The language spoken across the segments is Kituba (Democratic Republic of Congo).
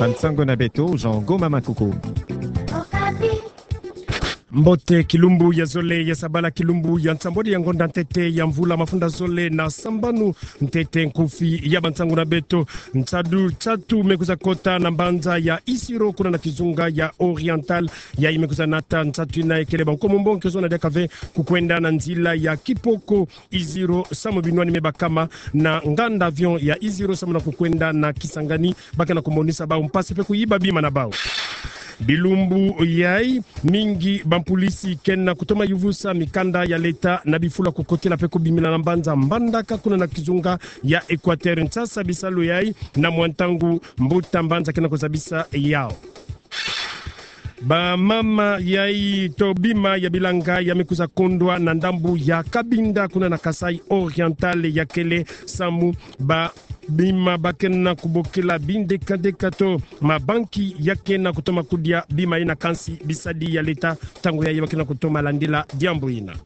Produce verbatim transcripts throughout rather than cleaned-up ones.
Bansango na beto, Jean Goma Makuku. Mbote, kilumbu ya zole ya sabala, kilumbu ya nsambwadi ya ngonda ntete ya mvula mafunda zole na sambanu. Ntete nkufi ya bansango na beto. Nsatu, nsatu me kwiza kota na mbanza ya Isiro, kuna na kizunga ya Oriental. Yayi me kwiza nata nsatu ina ekele ba Nkomo Mbongo ke zona diaka ve kukwenda na nzila ya Kipoko Isiro, samu binwani me bakama na nganda avion ya Isiro samu na kukwenda na Kisangani, ba ke na kumonisa bau mpasi mpe kuyiba bima na bau. Bilumbu yayi mingi, bampolisi ke na kutoma yuvusa mikanda ya leta na bifulu ya kukotela mpe kubimina na mbanza Mbandaka, kuna na kizunga ya Equateur. Nsasa bisalu yayi na mwa ntangu mbuta mbanza ke na kuzabisa yau. Bamama yayi to bima ya bilanga ya me kwiza kondwa na ndambu ya Cabinda, kuna na Kasaï Oriental, ya kele samu ba bima ba ke na kubokela bindekadeka to mabanki ya ke na kutoma kudia bima ina, kansi bisadi ya leta ntangu yayi ba ke na kutoma landila diambu ina.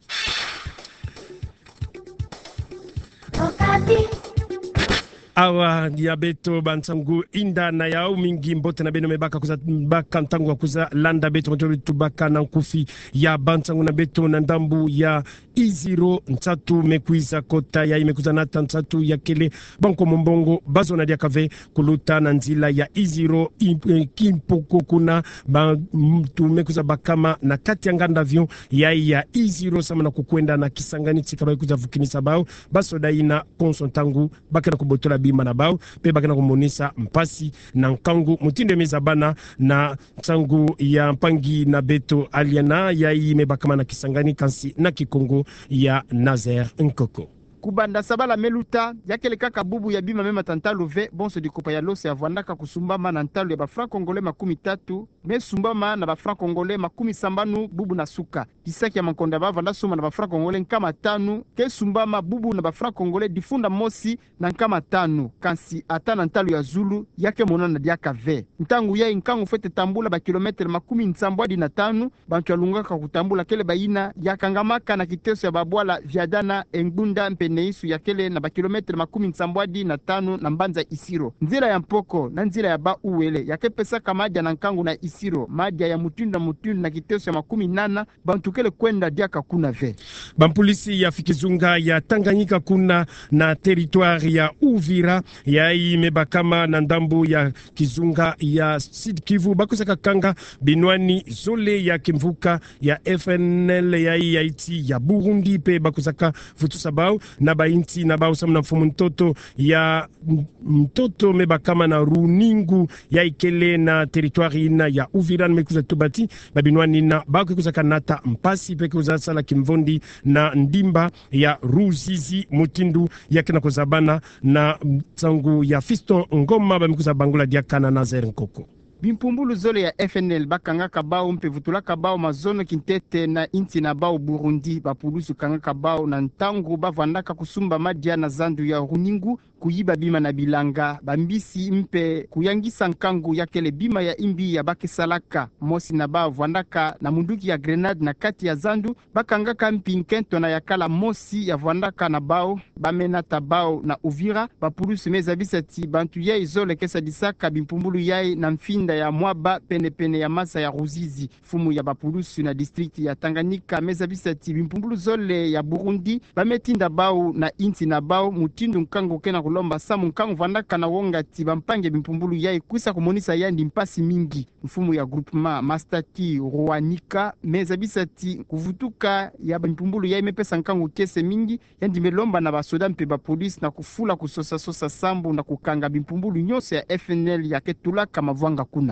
Awa ya beto bansango, inda na yau mingi, mbote na beno me baka kwiza baka ntangu ya kwiza landa beto, motoro tubaka na nkufi ya bansango na beto na ndambu ya Isiro. Nsatu me kwiza kota, yayi me kwiza nata nsatu ya kele ba Nkomo Mbongo ba zona diaka ve kuluta na nzila ya Isiro, i-, eh, Kipoko, kuna ba, mm, ntu me kwiza bakama na kati ya nganda avion yayi ya Isiro samu na kukwenda na Kisangani, tika ba kwiza vukinisa bau basoda ina konso ntangu ba ke na kubotola bima na bau, mpe ba ke na kumonisa mpasi na nkangu mutindu ya me zabana na nsangu ya mpangi na beto Aliana, yayi me bakama na Kisangani, kansi na Kikongo ya Nazaire Nkoko. Kubanda sabala me luta, ya kele kaka bubu ya bima me mata ntalu ve, bonso dikopa ya loso ya vwandaka kusumbama na ntalu ya ba francs congolais makumi tatu, me sumbama na ba francs congolais makumi sambanu bubu na suka. Kisaki ya mankonda ba vwanda sumba na ba francs congolais nkama tanu, ke sumbama bubu na ba francs congolais difunda mosi na nkama tanu, kansi ata na ntalu ya zulu, ya ke monana diaka ve. Ntangu yayi nkangu fwete tambula ba kilomètre makumi nsambwadi na tanu, bantu ya lungaka kutambula kele bayina ya kangamaka na kiteso ya babwala Viadana, Engbunda mpe Neiso, ya kele na ba kilomètre makumi nsambwadi na tanu na mbanza Isiro. Nzila ya Mpoko na nzila ya Bas-Uele ya ke pesaka madia na nkangu na Isiro, madia ya mutindu na mutindu na kiteso ya makumi nana, bantu kele kwenda diaka kuna ve. Bampolisi ya fi kizunga ya Tanganyika kuna na territoire ya Uvira, yayi me bakama na ndambu ya kizunga ya Sud-Kivu, ba kwizaka kanga binwani zole ya kimvuka ya F N L yayi ya insi ya Burundi, mpe ba kwizaka vutusa bau na ba insi na bau samu na mfumu ntoto ya m-, ntoto me bakama na Runingu, yayi kele na territoire ina ya Uvira. Me kwiza tuba ti ba binwani ina ba ke kwizaka nata mpasi mpe ke kwiza sala kimvondi na ndimba ya Ruzizi, mutindu ya ke na kuzabana na nsangu ya Fiston Ngoma, ba me kwiza bangula diaka na Nazaire Nkoko. Bimpumbulu zole ya F N L ba kangaka bau mpe vutulaka bau mazono kintete na insi na bau Burundi. Bapulusu kangaka bau na ntangu ba vwandaka kusumba madia na zandu ya Runingu, kuyiba bima na bilanga, bambisi mpe kuyangisa nkangu ya kele bima ya imbi ya ba ke salaka. Mosi na bau vwandaka na munduki ya grenade na kati ya zandu, ba kangaka mpi nkento na yakala mosi ya vwandaka na bau, ba me nata bau na Uvira. Bapulusu me zabisa ti bantu yayi zole ke sadisaka bimpumbulu yayi na mfinda ya Mwaba, pene-pene ya masa ya Ruzizi. Mfumu ya bapulusu na district ya Tanganyika me zabisa ti bimpumbulu zole ya Burundi ba me tinda bau na insi na bau, mutindu nkangu ke na kulomba samu nkangu vwandaka na wonga ti bampangi ya bimpumbulu yayi kwisa kumonisa yandi mpasi mingi. Mfumu ya groupement Mastaki Ruanika me zabisa ti kuvutuka ya bimpumbulu yayi me pesa nkangu kiese mingi, yandi me lomba na basoda mpe bapolisi na kufula kusosa-sosa sambu na kukanga bimpumbulu nyonso ya F N L ya ke tulaka mavwanga kuna.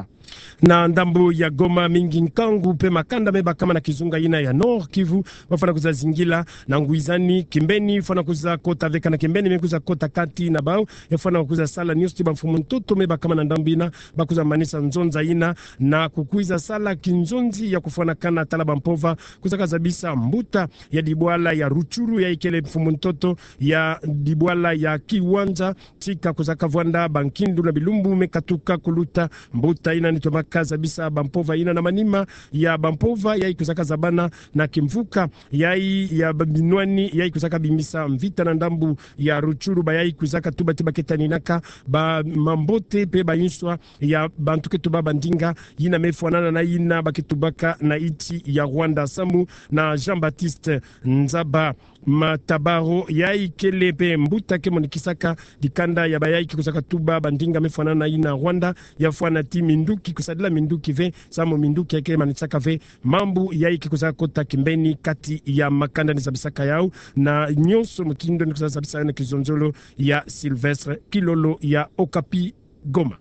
Na ndambu ya Goma, mingi nkangu mpe makanda me bakama na kizunga ina ya Nord-Kivu, ba fwana kwiza zingila na ngwizani, kimbeni fwana kwiza kota ve, kana kimbeni me kwiza kota kati na bau, e fwana kwiza sala nyonso ti bamfumu ntoto me bakama na ndambu ina ba kwiza manisa nzonza ina, na kukwiza sala kinzonzi ya kufwanakana tala bampova kwizaka zabisa mbuta ya dibwala ya Rutshuru, yayi kele mfumu ntoto ya dibwala ya Kiwanja, tika kwizaka vwanda bankindu na bilumbu me katuka kuluta, mbuta Taina ni tomaka zabisa bampova ina na manima ya bampova yayi kwizaka zabana na kimvuka yayi ya ba-, binwani yayi kwizaka bimisa mvita na ndambu ya Rutshuru, bayayi kwizaka tuba ti ba ke taninaka bamambote mpe bayinswa ya bantu ke tuba bandinga yina me fwanana na yina ba ke tubaka na insi ya Rwanda samu na Jean-Baptiste Nzaba Matabaro, yayi kele mpe mbuta ke monikisaka dikanda ya bayayi ke kwizaka tuba bandinga me fwanana na yina Rwanda, ya fwana ti minduki, kusadila minduki ve, samu minduki ya ke manisaka ve mambu yayi ke kwizaka kota kimbeni kati ya makanda ni zabisaka yau, na nyonso mutindu ni kwizaka zabisa yau na kizonzolo ya Sylvestre Kilolo ya Okapi Goma.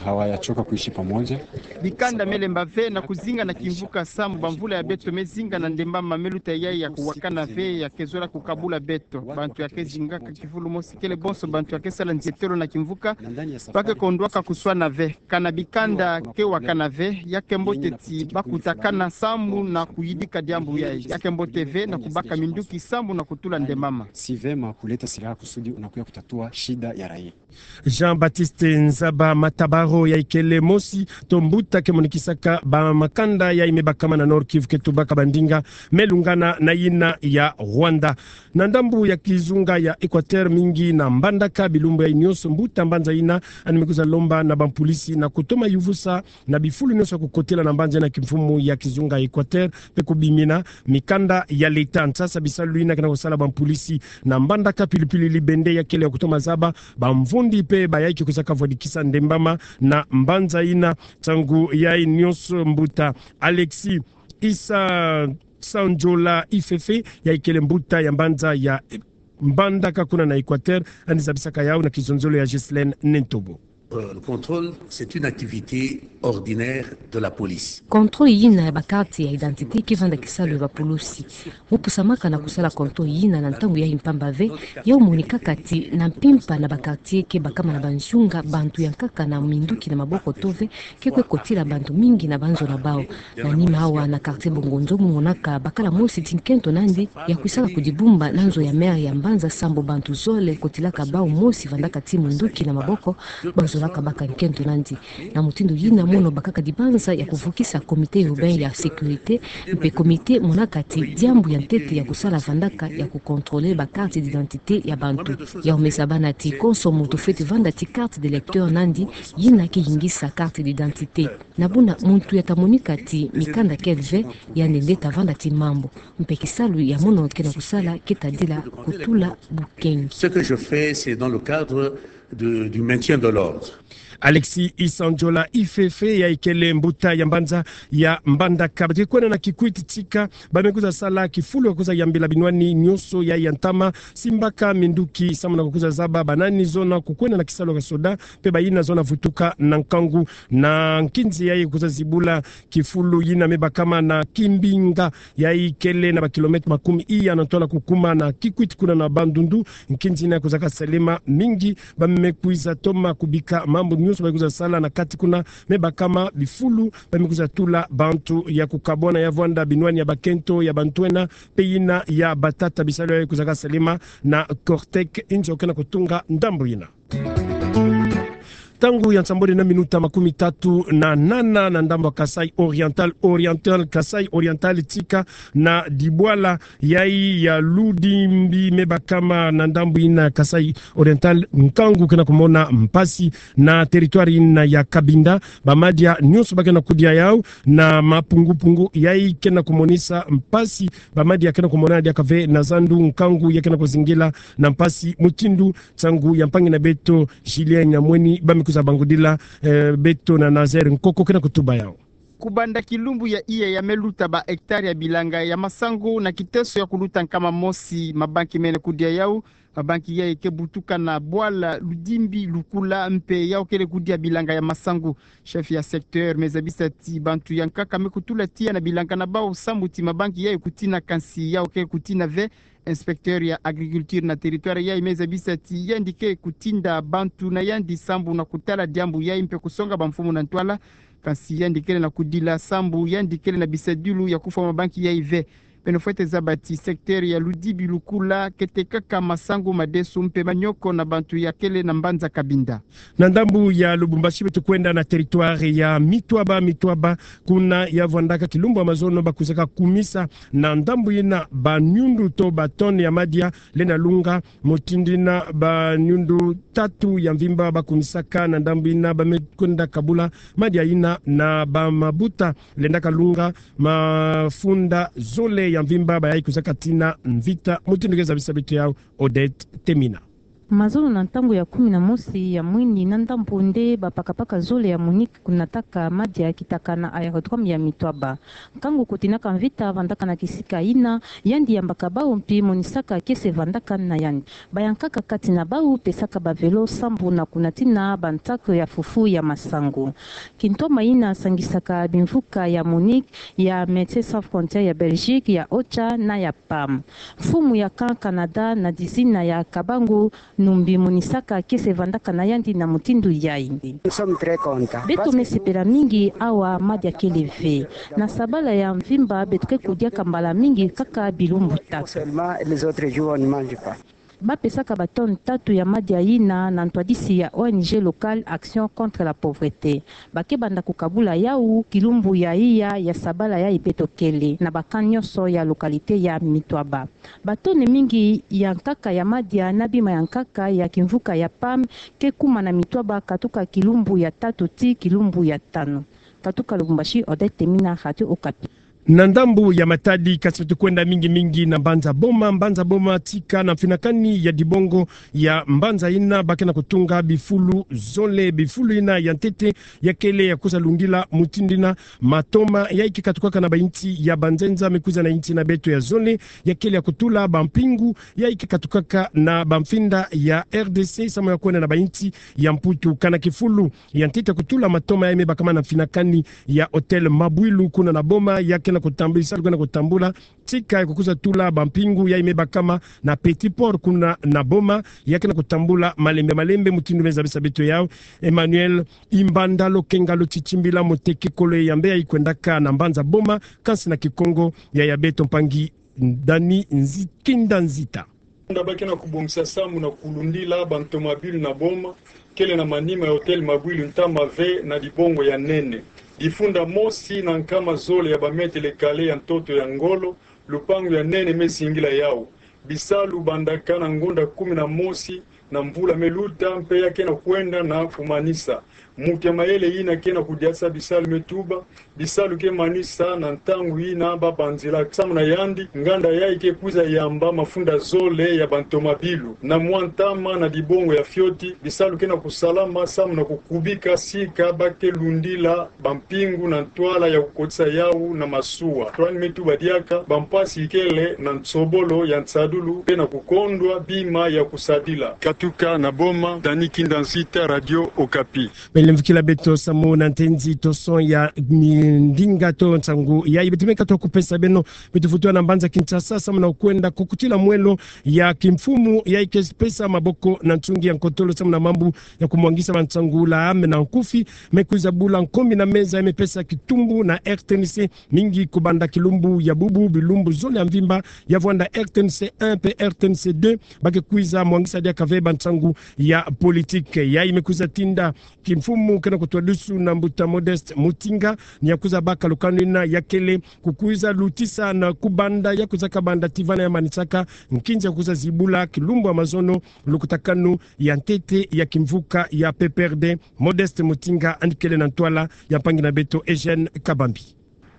Hawajachoka kuishi pamoja. Bikanda me lemba ve na kuzinga na kimvuka samu bamvula ya beto me zinga na ndembama me luta yayi ya kuwakana ve, ya ke zola kukabula beto. Bantu ya ke zingaka kifulu mosi kele bonso bantu ya ke sala nzietolo na kimvuka, ba ke kondwaka kuswana ve. Kana bikanda ke wakana ve, ya ke mbote ti ba kutakana samu na kuyidika diambu yayi. Ya ke mbote ve na kubaka minduki samu na kutula ndembama. Si vema kuleta silaha kusudi unakuja kutatua shida ya raia. Jean-Baptiste Nzaba Matabaro, yayi kele mosi to mbuta ke monikisaka bamakanda yayi me bakama na Nord-Kivu ke tubaka bandinga me lungana na yina ya Rwanda. Na ndambu ya kizunga ya Equateur, mingi na Mbandaka, bilumbu yayi nyonso mbuta mbanza yina yandi me kwiza lomba na bampulisi na kutoma yuvusa na bifulu nyonso ya kukotela na mbanza yina kimfumu ya kizunga Equateur, mpe kubimina mikanda ya leta. Nsasa bisalu yina ke na kusala bampulisi na Mbandaka, pili-pili Libende, ya kele ya kutoma zaba bamvundi mpe bayayi ke kwizaka vwadikisa ndembama na mbanza yina. Ntangu yayi nyonso, mbuta Alexis Isa Sanjola Ifefe, yayi kele mbuta ya mbanza ya Mbandaka kuna na Equateur, yandi zabisaka yau na kizonzolo ya Ghislaine Nentobo. Euh, le contrôle, c'est une activité ordinaire de la police. Contrôle yina ya ba carte ya identité ke vanda kisalu ya bapulusi. Mu pusamaka na kusala contrôle yina na ntangu yayi mpamba ve, ya monikaka ti na mpimpa na ba quartier ke bakama na banzunga, bantu ya nkaka na minduki na maboko to ve ke kwe kotila bantu mingi na banzo na bau. Na nima awa, na quartier Bongonzo mu monaka bakala mosi ti nkento nandi ya kwisaka kudibumba na nzo ya maire ya mbanza sambu bantu zole kotilaka bau mosi vandaka ti munduki na maboko, bau zolaka baka nkento nandi. Na mutindu yina mono bakaka dibanza ya kuvukisa comité urbain ya sécurité, mpe comité monaka ti diambu ya ntete ya kusala vandaka ya kucontrôler ba carte d'identité ya bantu. Yau me zabana ti konso muntu fweti vanda ti carte d'électeur nandi, yina ke yingisa carte d'identité. Na buna muntu ya ta monika ti mikanda kele ve, yandi nde ta vanda ti mambu. Mpe kisalu ya mono ke na kusala ke tadila kutula bukengi. Ce que je fais, c'est dans le cadre de, du maintien de l'ordre. Alexis Isanjola Ifefe, yayi kele mbuta ya mbanza ya Mbandaka. Ba ke kwenda na Kikwit tika, ba me kwiza sala kifulu ya kwiza yambila binwani nyonso yayi ya ntama, simbaka minduki samu na kukwiza zaba banani zona kukwenda na kisalu ya soda, mpe bayina zona vutuka na nkangu. Na nkinzi yayi kwiza zibula kifulu yina me bakama na Kimbinga, yayi kele na ba kilomètre makumi iya na ntwala kukuma na Kikwit kuna na Bandundu. Nkinzi yina kwizaka salema, mingi ba me kwiza toma kubika mambu nyonso ba kwiza sala na kati kuna me bakama bifulu ba me kwiza tula bantu ya kukabwana, ya vwanda binwani ya bakento, ya bantwenya, mpe yina ya batata. Bisalu yayi kwizaka salema na Cortec, inzo ke na kutunga ndambu yina. Ntangu ya nsambwadi na minuta makumi tatu na nana na ndambu ya Kasaï Oriental, Oriental, Kasaï Oriental tika na dibwala yayi ya Ludimbi me bakama na ndambu yina Kasaï Oriental, nkangu ke na kumona mpasi na territoire yina ya Cabinda. Bamadia nyonso ba ke na kudia yau na mapungu-pungu yayi ke na kumonisa mpasi. Bamadia ke na kumona diaka ve na zandu, nkangu ya ke na kuzingila na mpasi mutindu. Nsangu ya mpangi na beto Julien Nyamweni, ba me kwiza bangudila, eh, beto na Nazaire Nkoko ke na kutuba yau. Kubanda kilumbu ya iya ya me luta ba hectare ya bilanga ya masangu na kiteso ya kuluta nkama mosi, mabanki mene kudia yau. Mabanki yayi ke butuka na bwala Ludimbi Lukula, mpe yau kele kudia bilanga ya masangu. Chef ya secteur me zabisa ti bantu ya nkaka me kutula tiya na bilanga na bau sambu ti mabanki yayi kutina, kansi yau ke kutina ve. Inspecteur ya agriculture na territoire yayi me zabisa ti yandi ke kutinda bantu na yandi sambu na kutala diambu yayi mpe kusonga bamfumu na ntwala. Kansi yandi kele na kudila sambu yandi kele na bisadilu ya kufwa mabanki yayi ve. Beno fwete zaba ti secteur ya Ludibi Lukula kete kaka masangu madesu mpe manyoko na bantu ya kele na mbanza Cabinda. Na ndambu ya Lubumbashi beto kwenda na territoire ya Mitwaba. Mitwaba kuna ya vwandaka kilumbu ya mazono bakwizaka kumisa na ndambu yina banyundu to ba tonnes ya madia lenda lunga, mutindu yina banyundu tatu ya mvimba bakumisaka na ndambu yina bame kwenda kabula madia yina na bamabuta lendaka lunga mafunda zole ya mvimba bayayi kwizaka tina mvita. Mutindu ke zabisa beto yawu Odette Temina. Mazono na ntangu ya kumi na mosi ya mwini na ndambu nde bapakapaka zole ya MONUC kunataka madia kitaka na aérodrome ya Mitwaba. Nkangu kutinaka mvita vandaka na kisika yina, yandi yambaka bawu mpi monisaka kiese vandaka na yandi. Bayankaka kati na bawu pesaka ba vélo sambu na kunatina bantaku ya fufu ya masangu. Kintoma yina sangisaka bimvuka ya MONUC, ya Médecins Sans Frontières ya Belgique, ya OCHA na ya PAM. Mfumu ya Camp Canada na dizina ya Kabangu Numbi monisaka kiese vandaka na yandi na mutindu yayi. Nous sommes très contents. Beto me sepela mingi awa madia kele ve. Na sabala ya mvimba beto ke kudiaka mbala mingi kaka bilumbu tatu. Seulement, les autres jours, on ne mange pas. Bapesaka ba tonnes tatu ya madia yina na ntwadisi ya O N G locale Action contre la pauvreté. Bake banda kukabula yawu kilumbu ya iya ya sabala yayi beto kele na ba camps nyonso ya localité ya Mitwaba. Ba tonnes mingi ya nkaka ya madia na bima ya nkaka ya kimvuka ya PAM ke kuma na Mitwaba katuka kilumbu ya tatu tii kilumbu ya tanu. Katuka Lubumbashi, Odette Temina, Radio Okapi. Na ndambu ya Matadi, kasi beto kwenda mingi mingi na mbanza Boma. Mbanza Boma tika na mfinakani ya dibongo ya mbanza yina bake na kutunga bifulu zole. Bifulu yina ya ntete ya kele ya kwiza lundila mutindu yina matoma yayi ke katukaka na bainsi ya banzenza me kwiza na insi na beto ya zole, ya kele ya kutula bampingu yayi ke katukaka na bamfinda ya R D C samu ya kwenda na bainsi ya Mputu. Kana kifulu ya ntete ya kutula matoma yayi me bakama na mfinakani ya Hôtel Mabwilu kuna na Boma, ya ke na kutambula, isalu ke na kutambula tika ya kukwiza tula bampingu yayi me bakama na Petit Port kuna na Boma, ya ke na kutambula malembe malembe. Mutindu me zabisa beto yawu Emmanuel Imbanda Lokenga Lotitimbila, moteki kolo ya mbe yayi kwendaka na mbanza Boma, kansi na Kikongo ya ya beto mpangi Dani Nzi-, Kinda Nzita. Nda bake na kubongisa samu na kulundila bantomabilu na Boma, kele na manima ya Hôtel Mabwilu ntama ve na dibongo ya nene. Difunda mosi na nkama zole ya ba mètres carrés ya ntoto ya ngolo, lupangu ya nene me singila yawu. Bisalu bandaka na ngonda kumi na mosi na mvula me luta mpe ya ke na kwenda na kumanisa. Mutu ya mayele yina ke na kudiasa bisalu me tuba, bisalu ke manisa na ntangu yina ba banzila samu na yandi. Nganda yayi ke kwiza yamba mafunda zole ya bantomabilu na mwa ntama na dibongo ya fioti. Bisalu ke na kusalama samu na kukubika sika ba ke lundila bampingu na ntwala ya kukotisa yawu na masuwa. Twani me tuba diaka bampasi kele na nsobolo ya nsadulu mpe na kukondwa bima ya kusadila. Katuka na Boma, Dani Kinda Nzita, Radio Okapi. Belemvukila beto samu na ntenzi to son ya mi-, ndinga to nsangu yayi beto me katuka kupesa beno. Beto vutula na mbanza Kinshasa samu na kwenda kukutila mwelo ya kimfumu yayi ke pesa maboko na nsungi ya nkotolo samu na mambu ya kumwangisa bansangu la ame na nkufi. Me kwiza bula nkombi na meza, me pesa kitumbu na R T N C mingi kubanda kilumbu ya bubu, bilumbu zole ya mvimba ya vwanda R T N C un mpe R T N C deux ba ke kwiza mwangisa diaka ve bansangu ya politique. Yayi me kwiza tinda kimfumu ke na kutwadusu na mbuta Modeste Mutinga ni ya kwiza baka lukanu yina ya kele kukwiza lutisa na kubanda ya kwiza kabanda tii vana ya manisaka nkinzi ya kwiza zibula kilumbu ya mazono lukutakanu ya ntete ya kimvuka ya P P R D. Modeste Mutinga yandi kele na ntwala ya mpangi na beto Eugène Kabambi.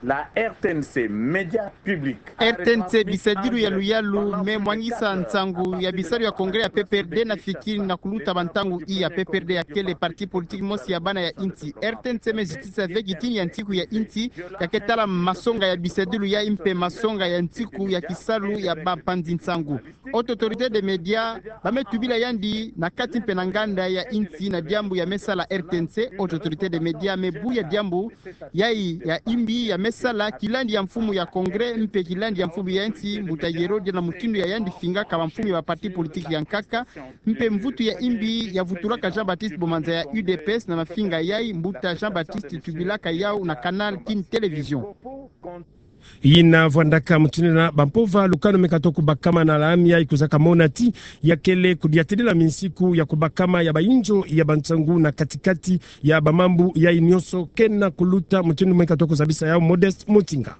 La R T N C, média public. R T N C, bisadilu ya luyalu, me mwangisa nsangu ya bisalu ya congrès ya P P R D na fikiri na kuluta bantangu iya. P P R D ya kele parti politique mosi ya bana ya insi. R T N C me zitisa ve gitini ya ntiku ya insi, ya ke tala masonga ya bisadilu yayi mpe masonga ya ntiku ya kisalu ya bampanzi nsangu. Haute Autorité des Médias ba me tubila yandi na kati mpe na nganda ya insi na diambu ya me sala R T N C. Haute Autorité des Médias me buya diambu yayi ya imbi ya me sala kilandi ya mfumu ya congrès mpe kilandi ya mfumu ya insi, mbuta Yero, dia na mutindu ya yandi fingaka bamfumu ya ba parti politique ya nkaka, mpe mvutu ya imbi ya vutulaka Jean-Baptiste Bomanza ya U D P S na mafinga yayi, mbuta Jean-Baptiste tubilaka yawu na Canal Kin Télévision. Ina vwandaka mutindu na bampova lukanu me kato kubakama na lami ya ikuzaka mona ti ya kele kudiatedela minsiku ya kubakama ya bainjo ya bansangu na katikati ya bamambu ya inioso kena kuluta mutindu me kato kuzabisa yau Modest Mutinga.